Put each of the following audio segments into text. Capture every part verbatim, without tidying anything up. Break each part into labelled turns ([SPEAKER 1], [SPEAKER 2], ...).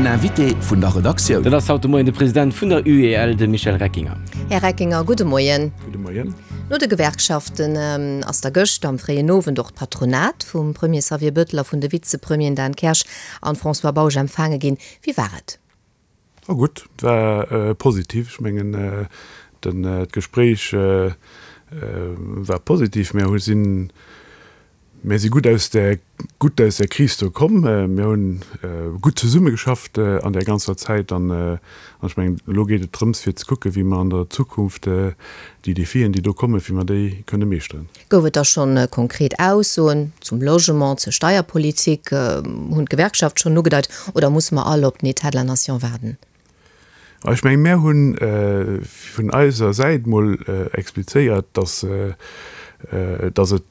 [SPEAKER 1] Den Invité vun der Redaktioun.
[SPEAKER 2] Dat ass haut de Moien de President vun der UEL, de Michel Reckinger.
[SPEAKER 3] Här Reckinger, gudde Moien.
[SPEAKER 4] Gudde Moien.
[SPEAKER 3] No de Gewerkschaften ass da gëscht am fréien Owend och d'Patronat vum Premier Xavier Bettel a vun de Vizepremieren Dan Kersch an François Bausch empfaange ginn. Wéi war et?
[SPEAKER 4] War gutt, et war positiv. Ech mengen, d'Gespréich war positiv. Mir hu sinn, mir si gutt aus där, gutt aus där Kris do komm. Mir hunn gutt zesummegeschafft an där ganzer Zäit an ech mengen, elo geet et drëms fir ze kucken, wéi mer an der Zukunft déi Defien, déi do kommen, wéi mer déi kënne meeschteren.
[SPEAKER 3] Gouf et da schonn konkret Aussoen zum Logement, zur Steierpolitik? Hunn d'Gewerkschaft schonn ugedeit oder musse mer all op den État de la Nation waarden?
[SPEAKER 4] Ech mengen, mär hu vun eiser Säit mol explizéiert, dass, dass et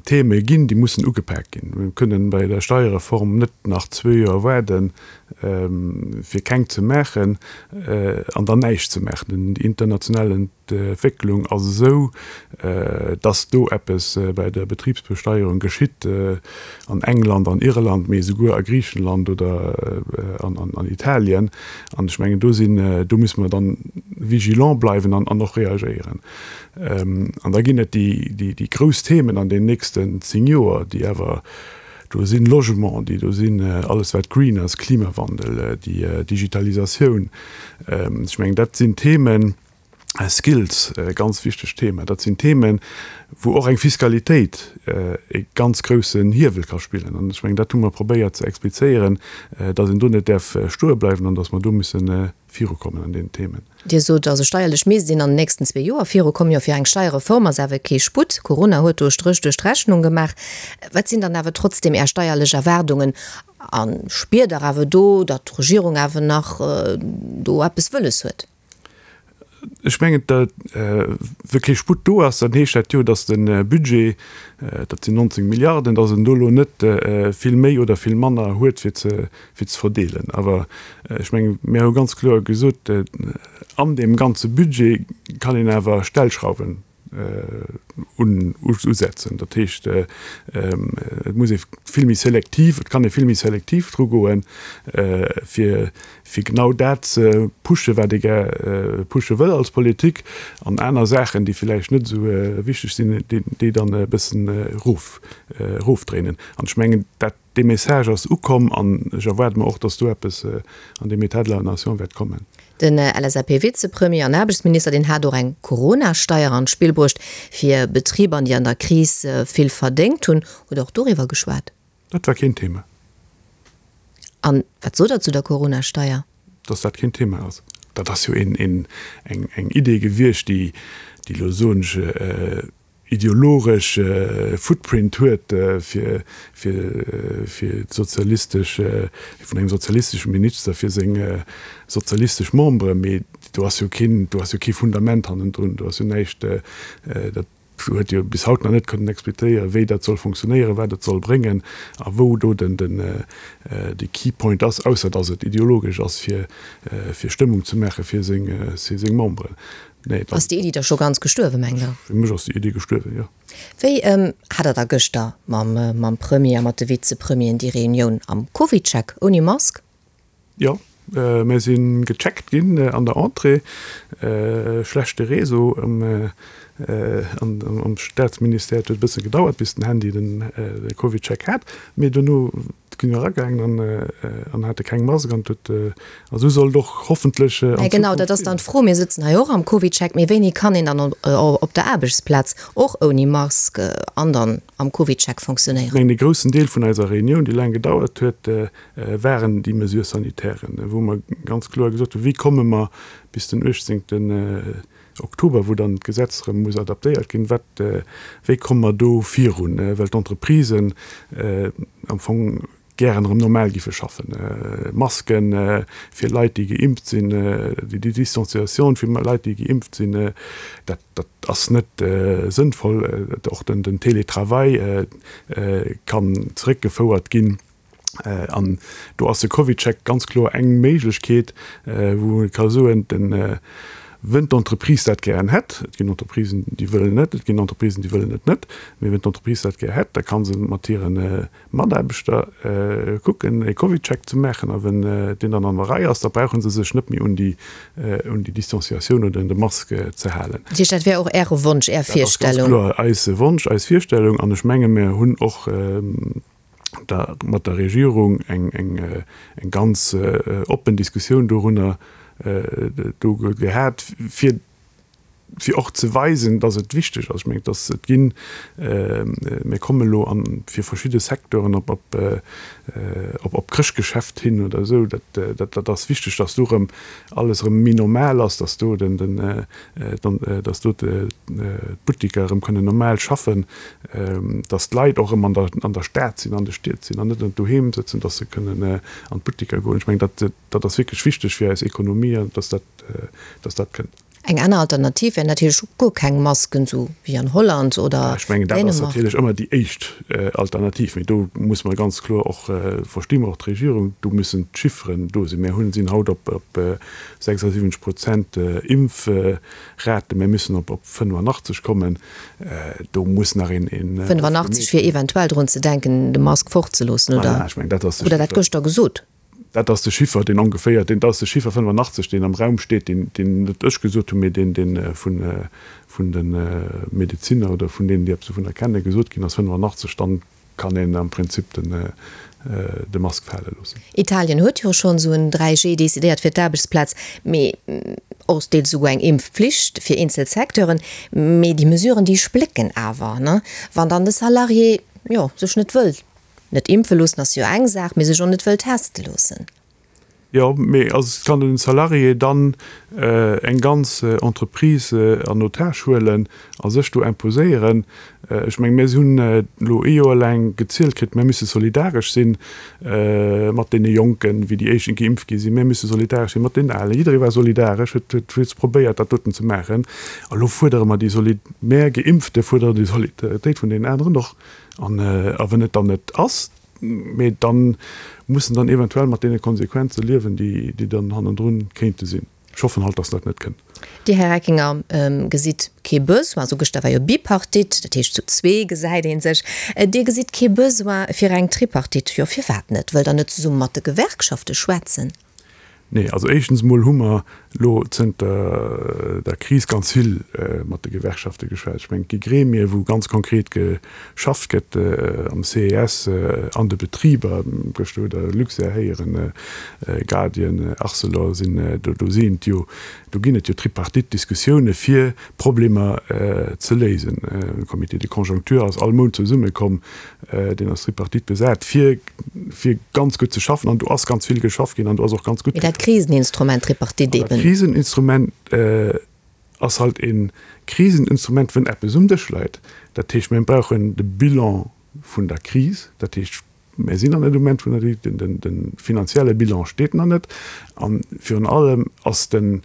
[SPEAKER 4] Theme ginn, déi mussen ugepak ginn. Mir kënnen bei der Steierreform net nach zwee Joer waarden, fir keng ze maachen an dann näischt ze maachen. Déi international Entwécklung ass esou, dass do eppes bei der Betribsbesteierung geschitt, an England, an Irland, mee esouguer a Griichenland oder an Italien. An ech mengen, do sinn, do musse mer dann vigilant bleiwen an och reagéieren. An da ginn et déi grouss Themen an den nächsten zéng Joer, déi awer do sinn, Logement, déi do sinn, alles wat green ass, Klimawandel, déi Digitalisatioun. Ech mengen, dat sinn Themen, Skills, e ganz wichtegt Thema, dat sinn Themen, wou och eng Fiskalitéit e ganz groussen Hiewel ka spillen. An ech mengen, dat hu mer probéiert ze explizéieren, datt een do net däerf stoe bleiwen an datt mer do mussen virukommen an deenen Themen.
[SPEAKER 3] Dir sot also, steierlech misst een an den nächsten zwee Joer virukommen. Jo, fir eng Steierreform ass awer kee Sputt. Corona huet do e Stréch duerch d'Rechnung gemaach. Wat sinn dann awer trotzdem Är steierlech Erwaardungen? A spiert Der awer do, datt d'Regierung awer nach do eppes wëlles huet?
[SPEAKER 4] Ech mengen, wa kee Sputt do ass, dann heescht dat jo, datt de Budget, dat sinn nonzéng Milliarden, datt en do elo net vill méi oder vill manner huet fir ze fir ze verdeelen. Awer ech mengen, mir hu ganz kloer gesot, an deem ganze Budget kann een awer Stellschrauwen usetzen. Dat heescht, et muss ee vill méi selektiv, et kann ee vill méi selektiv dru goen, fir, fir genau dat ze pushen, wat ee gär pushe wëll als Politik, an aner Saachen, déi villäicht net esou wichteg sinn, déi dann e bëssen erof, erofdréinen. An ech mengen, dat, dee Message ass ukomm an ech erwaarde mer och, dass do eppes an deem État de la Nation wäert kommen.
[SPEAKER 3] Den L S A P-Vizepremier an Aarbechtsminister, deen hat och eng Corona-Steier an d'Spill bruecht fir Betriber, déi an der Kris vill verdéngt hunn. Hutt Der och doriwwer geschwat?
[SPEAKER 4] Dat war keen Thema.
[SPEAKER 3] An wat sot Der zu der Corona-Steier?
[SPEAKER 4] Dass dat keen Thema ass. Dat ass jo een, een, eng, eng Idee gewiescht, déi, déi elo, soen ech, ideologesch Footprint huet fir fir fir d'sozialistesch, vun engem sozialisteschen Minister fir seng sozialistesch Memberen, mee do ass jo keen, do ass jo kee Fundament hannendrun, do ass jo näischt, dat huet jo bis haut nach net kënnen explizéieren, wéi dat soll funktionéieren, wat et soll bréngen a wou do den den de Key Point ass, ausser datt et ideologesch ass fir fir Stëmmung ze maache fir seng fir seng Memberen.
[SPEAKER 3] Nee, ass déi Iddi da scho ganz gestuerwen, mengt Der?
[SPEAKER 4] Fir mech ass déi Iddi gestuerwen, jo.
[SPEAKER 3] Wéi hat Der da gëschter mam mam Premier a mat de Vizepremieren déi Reunioun am CovidCheck, ouni Mask?
[SPEAKER 4] Jo, mir si gecheckt ginn an der Entrée. Schlechte Réseau am am Staatsministère. Et huet e bësse gedauert, bis den Handy den CovidCheck hat. Mee dono gi mir eragaangen an hate keng Mask an et huet, a sou soll et och hoffentlech an
[SPEAKER 3] Zukunft. Genau, dat ass dann d'Fro. Mir sëtzen hei och am CovidCheck, mee wéini kann een dann op der Aarbechtsplaz och ouni Mask an dann am CovidCheck fonctionnéieren?
[SPEAKER 4] Ech mengen, e groussen Deel vun eiser Reunioun, déi laang gedauert huet, waren déi Mesures sanitairen, wou mer ganz kloer gesot hunn, wéi komme mer bis den uechtzéngten Oktober, wou dann d'Gesetz erëm muss adaptéiert ginn, wat, wéi komme mer do virun, well d'Entreprisen am Fong gären erëm normal giffe schaffen. Masken fir Leit, déi geimpft sinn, déi Distanciatioun fir Leit, déi geimpft sinn, dat, dat ass net sënnvoll. Och den, den Télétravail kann zeréckgefouert ginn. An do ass de CovidCheck ganz kloer eng Méiglechkeet, wou ee ka soen, den, Wenn d'Entreprise dat gären hätt, et ginn Entreprisen, déi wëllen net, et ginn Entreprisen, déi wëllen et net, mee wenn d'Entreprise dat gär hätt, da ka se mat hire Mataarbechter kucken, e CovidCheck ze maachen, a wenn deen dann an der Rei ass, da brauche se sech net méi un déi, un déi Distanciatioun oder un de Mask ze halen.
[SPEAKER 3] Dat heescht, dat wär och Äre Wonsch, Är Virstellung?
[SPEAKER 4] Dat ass ganz kloer eise Wonsch, eis Virstellung, an ech menge mir hunn och da mat der Regierung eng, eng, eng ganz oppen Diskussioun dorunner do gehat, fir, fir och ze weisen, dass et wichteg ass. Ech mengen, dass et ginn, mir komme elo an, fir verschidde Secteuren op, op, op, op Chrëschtgeschäft hin oder esou, dat, dat, dat ass wichteg, dass do erëm alles erëm méi normal ass, dass do den, den, dann, dass do d'Buttiker erëm kënnen normal schaffen, dass d'Leit och erëm an der, an der Stad sinn, an de Stied sinn an net doheem sëtzen, dass se kënnen an d'Buttiker goen. Ech mengen, dat, dat ass wierklech wichteg fir eis Ekonomie, dass dat, dass dat kënnt.
[SPEAKER 3] Eng aner Alternativ wär natierlech och guer keng Masken, esou wéi an Holland oder
[SPEAKER 4] Ech mengen, dat ass
[SPEAKER 3] Dänemark.
[SPEAKER 4] natierlech ëmmer déi éischt Alternativ. Mee do muss mer ganz kloer och, versti mer och d'Regierung, do müssen d'Chifferen do sinn. Mir hunn, sinn haut op, op sechsundsiwwenzeg Prozent Impfrate, mir müssen op, op fënnefenachtzeg kommen. Do muss nach een, een.
[SPEAKER 3] Fënnefenachtzeg fir eventuell drun ze denken, de Mask fortzeloossen, oder?
[SPEAKER 4] Voilà, ech mengen, dat ass de
[SPEAKER 3] Hutt Der dat
[SPEAKER 4] Chiffer.
[SPEAKER 3] gëschter gesot?
[SPEAKER 4] Dat ass de Chiffer, deen ongeféier, deen, dat ass de Chiffer fënnefenachtzeg, deen am Raum steet, deen, deen net ech gesot hunn, mee deen, deen vun, vun de Medezinner oder vun deenen, déi eppes dovunner kennen, gesot ginn ass, fënnefenachtzeg, dann kann een am Prinzip den, de Mask fale loossen.
[SPEAKER 3] Italien huet jo schonn esou en dräi G decidéiert fir d'Aarbechtsplaz, mee och deels esouguer eng Impfpflicht fir eenzel Secteuren. Mee déi Mesuren, déi splécken awer, ne? Wann dann de Salarié, jo, sech net wëll Net impfe loossen ass jo eng Saach, mee sech och net wëll teste loossen.
[SPEAKER 4] Jo, mee also kann den Salarié dann eng ganz Entreprise en otage huelen a sech do imposéieren? Ech mengen, mir hunn elo ee Joer laang gezielt kritt, mir müsse solidaresch si mat deene Jonken, wéi déi éischten geimpft gi sinn, mir müsse solidaresch si mat deenen Alen. Jidderee war solidaresch, huet huet probéiert, dat doten ze maachen. A lo fuerdere mer déi Soli-, mär Geimpfte fuerderen déi Solidaritéit vun deenen aneren och. An a wenn et dann net ass, mee dann muss en dann eventuell mat deene Konsequenze liewen, déi déi dann hannendrun kéinte sinn. Ech hoffen halt, dass dat net kënnt.
[SPEAKER 3] Dir, Här Reckinger, gesitt kee Besoin, also gëschter war jo Bipartite, dat heescht zu zwee gesäit ee sech, Dir gesitt kee Besoin fir eng Tripartite. Jo, firwat net? Wëllt Der net zesumme mat de Gewerkschafte schwätzen?
[SPEAKER 4] Nee, also éischtens emol hu mer elo zënter der Kris ganz vill mat de Gewerkschafte geschwat. Ech mengen, et gi Gremie wou ganz konkret geschafft gëtt, am C E S, an de Betriber, gëschter hutt Der Luxair héieren, Guardian, Arcelor sinn do, do sinn et jo, do ginn et jo Tripartite-Diskussioune fir Problemer ze léisen. De Comité de conjoncture ass all Mount zesummekomm, deen ass Tripartite besat, fir fir ganz gutt ze schaffen. An do ass ganz vill geschafft ginn an do ass och ganz gutt
[SPEAKER 3] Mee dat Kriseninstrument Tripartite
[SPEAKER 4] eben. Dat Kriseninstrument ass halt e Kriseninstrument, wenn eppes um Dësch läit. Dat heescht, mir brauchen de Bilan vun der Kris. Dat heescht, mir sinn nach net um Enn vun der, den, den finanzielle Bilan steet nach net. A virun allem ass den,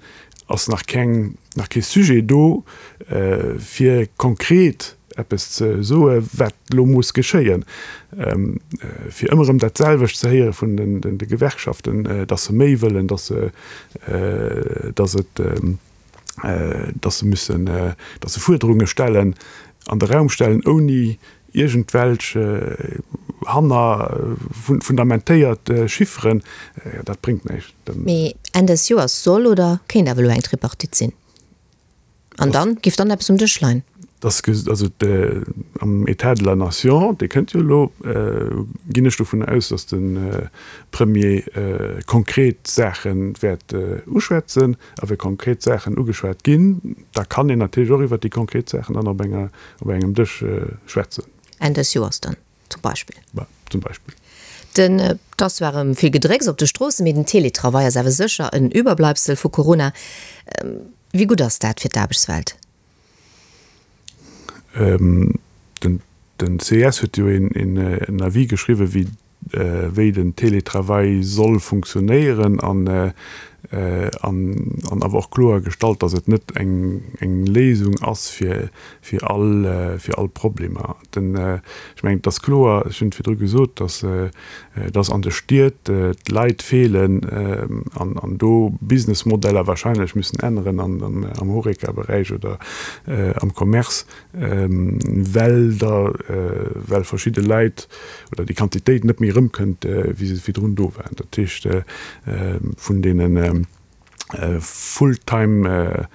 [SPEAKER 4] ass nach keng, nach kee Sujet do, fir konkret eppes ze soe wat elo muss geschéien. Fir ëmmer erëm dat selwecht ze héiere vun de Gewerkschaften, datt se méi wëllen, datt se, datt et, datt se müssen, datt se Fuerderunge stellen, an de Raum stellen, ouni iergendwelch hanner fundamentéiert Chifferen, dat bréngt näischt.
[SPEAKER 3] Mee Enn des Joers soll oder kéint awer elo eng Tripartite sinn. An dann? Géif dann eppes um Dësch leien?
[SPEAKER 4] Dass, also am État de la Nation, dee kënnt jo elo, ginn ech dovun aus, dass de Premier konkret Saache wäert uschwätzen. A wa konkret Saachen ugeschwat ginn, da kann een natierlech och iwwert déi konkret Saachen dann op enger, op engem Dësch schwätzen.
[SPEAKER 3] Enn des Joers dann zum Beispill?
[SPEAKER 4] Bah, zum Beispill.
[SPEAKER 3] Den, et ass zwar erëm vill Gedrécks op de Stroossen, mee den Teletravail ass awer sécher en Überbleibsel vu Corona. Wéi gutt ass dat fir d'Aarbechtswelt?
[SPEAKER 4] Den, den C E S huet jo een, een, en Avis geschriwwen, wéi, wéi den Teletravail soll funktionéieren an an an awer och kloer gestallt, datt et net eng eng Léisung ass fir fir all fir all Problemer. Den ech mengen, et ass kloer, ech hunn et virdru gesot, datt datt an de Stied d'Leit feelen an an do Businessmodeller wahrscheinlech müssen änneren an am Horeca-Beräich oder am Commerce, well da well verschidde Leit oder déi Quantitéit net méi erëmkënnt, wéi se virdrun do waren. Dat heescht, vun deene full-time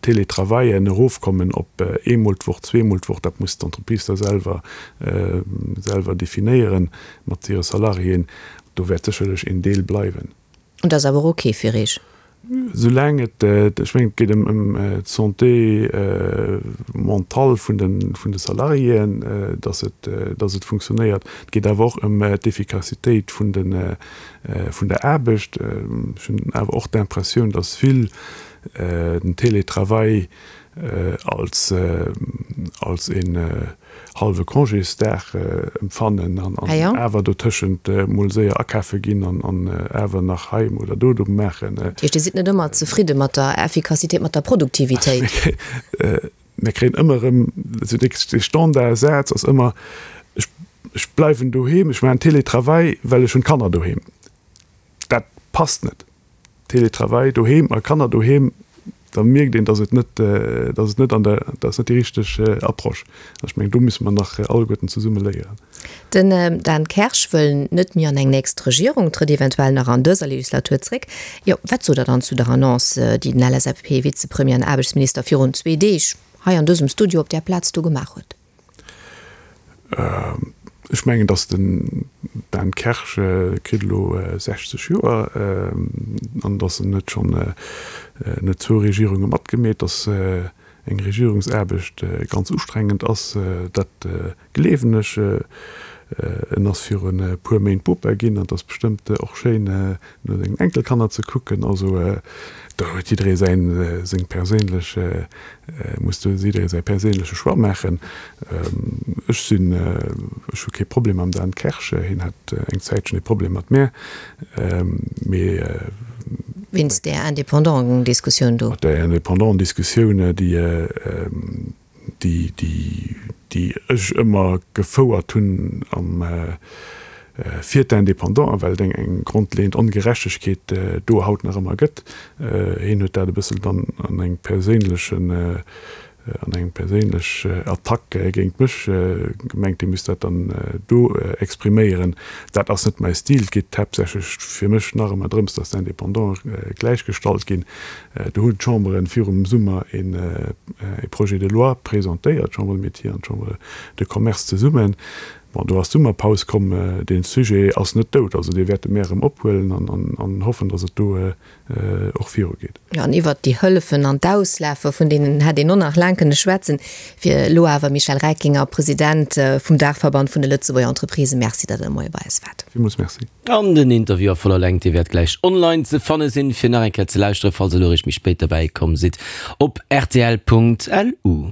[SPEAKER 4] Teletravaillen erofkommen op eemol d'Woch, zweemol d'Woch, dat muss d'Entreprise da selwer selwer definéieren mat hire Salariéen. Do wäert sécherlech een Deel bleiwen.
[SPEAKER 3] Und dat ass awer ok fir Iech?
[SPEAKER 4] Soulaang et, ech mengen, et geet ëm d'Santé mentale vun de, vun de Salariéen, datt et, datt et funktionéiert. Et geet awer och ëm d'Effikassitéit vun de, vun der Aarbecht. Ech hunn awer och d'Impressioun, datt vill den Télétravail als, als een hallwe Congésdag empfannen an awer dotëschent mol séier akafe ginn an awer nach hei oder do do maachen.
[SPEAKER 3] Dat heescht, Dir sidd net ëmmer zefridde mat der Effikassitéit, mat der Produktivitéit?
[SPEAKER 4] Mir kréien ëmmer erëm, also dee Standardsaz ass ëmmer, ech bleiwen doheem, ech maachen Télétravail, well ech hunn d'Kanner doheem. Dat passt net. Télétravail doheem a Kanner doheem, da mierkt een, dass et net, dass et net an der, dat ass net déi richteg Approche. An ech mengen, do musse mer nach alleguerten zesumme léieren.
[SPEAKER 3] Den Dan Kersch wëll net méi an eng nächst Regierung, trëtt eventuell nach an dëser Legislatur zréck. Jo, wat sot Der dann zu der Annonce, déi den L S A P-Vizepremier an Aarbechtsminister virun zwee Deeg hei an dësem Studio op där Plaz do gemaach huet?
[SPEAKER 4] Ech mengen, datt den Dan Kersch kritt elo sechzeg Joer an datt en huet schonn net zwou Regierunge matgemeet, datt eng Regierungsaarbecht ganz ustrengend ass, dat gleewen ech. En ass virun e puer Méint Bopa ginn an et ass bestëmmt och schéin no sengen Enkelkanner ze kucken. Also do huet jidderee säin, seng perséinlech, muss do jidderee säi perséinleche Choix maachen. Ech sinn, ech hu kee Problem mam Dan Kersch, hien hat eng Zäitchen e Problem mat mär, mee.
[SPEAKER 3] Wéinst där Indépendant-Diskussioun do?
[SPEAKER 4] Mat där Indépendant-Diskussioun, déi, déi, déi, déi ech ëmmer gefouert hunn am, fir d'Indépendanten, well et eng, eng grondleeënd Ongerechtegkeet do haut nach ëmmer gëtt. Hien huet dat e bëssel dann an engem perséinlechen, an eng perséinlech Attack géint mech gemengt, hie misst dat dann do expriméieren. Dat ass net mäi Stil. Et geet haaptsächlech fir mech nach ëmmer drëms, datt d'Indépendanten gläichgestallt ginn. Do hunn d'Chamberen virum Summer e Projet de loi presentéiert, d'Chambre de Métiers an d'Chambre de Commerce zesummen. Bon, do ass d'Summerpaus komm. Dee Sujet ass net dout. Also dee wäerte mär erëm ophuelen an hoffen, datt et do och virugeet.
[SPEAKER 3] Jo, an iwwert déi Hëllefen an d'Auslafe vun deenen hätt een och nach laang kënne schwätzen. Fir elo awer, Michel Reckinger, President vum Daachverband vun de Lëtzebuerger Entreprisen, Merci, datt Der de Moie bei eis waart.
[SPEAKER 4] Villmools Merci.
[SPEAKER 2] An den Interview a voller Längt, dee wäert gläich online ze fanne sinn, fir nach eng Kéier ze lauschteren, falls Der elo eréischt méi spéit derbäi komm sidd, op rtl Punkt lu.